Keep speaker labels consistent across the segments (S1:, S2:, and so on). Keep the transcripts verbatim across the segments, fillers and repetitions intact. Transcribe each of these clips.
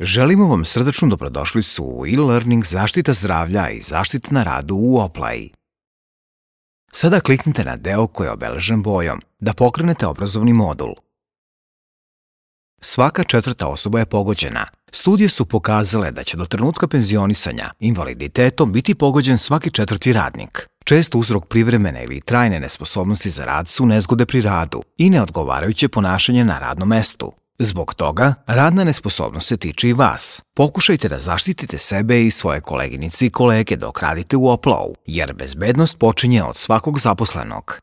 S1: Želimo vam srdačnu dobrodošlicu u e-learning zaštita zdravlja i zaštita na radu u Oplai. Sada kliknite na deo koji je obeležen bojom da pokrenete obrazovni modul. Svaka četvrta osoba je pogođena. Studije su pokazale da će do trenutka penzionisanja invaliditetom biti pogođen svaki četvrti radnik. Čest uzrok privremene ili trajne nesposobnosti za rad su nezgode pri radu i neodgovarajuće ponašanje na radnom mestu. Zbog toga, radna nesposobnost se tiče i vas. Pokušajte da zaštitite sebe i svoje koleginice i kolege dok radite u Oplau, jer bezbednost počinje od svakog zaposlenog.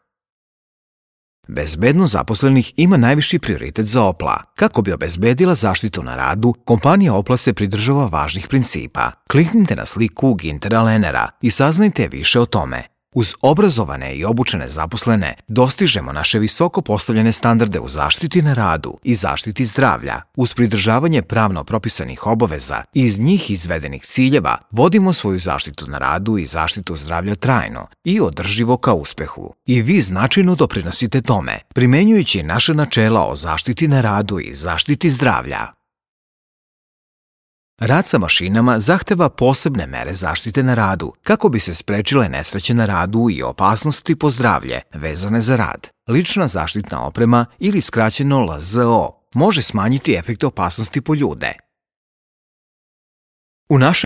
S1: Bezbednost zaposlenih ima najviši prioritet za Opla. Kako bi obezbedila zaštitu na radu, kompanija Opla se pridržava važnih principa. Kliknite na sliku Gintera Lenera i saznajte više o tome. Uz obrazovane i obučene zaposlene dostižemo naše visoko postavljene standarde u zaštiti na radu i zaštiti zdravlja. Uz pridržavanje pravno propisanih obaveza i iz njih izvedenih ciljeva vodimo svoju zaštitu na radu i zaštitu zdravlja trajno i održivo ka uspehu. I vi značajno doprinosite tome, primenjujući naše načela o zaštiti na radu i zaštiti zdravlja. Rad sa mašinama zahteva posebne mere zaštite na radu kako bi se sprečile nesreće na radu i opasnosti po zdravlje vezane za rad. Lična zaštitna oprema ili skraćeno L Z O može smanjiti efekte opasnosti po ljude. U našem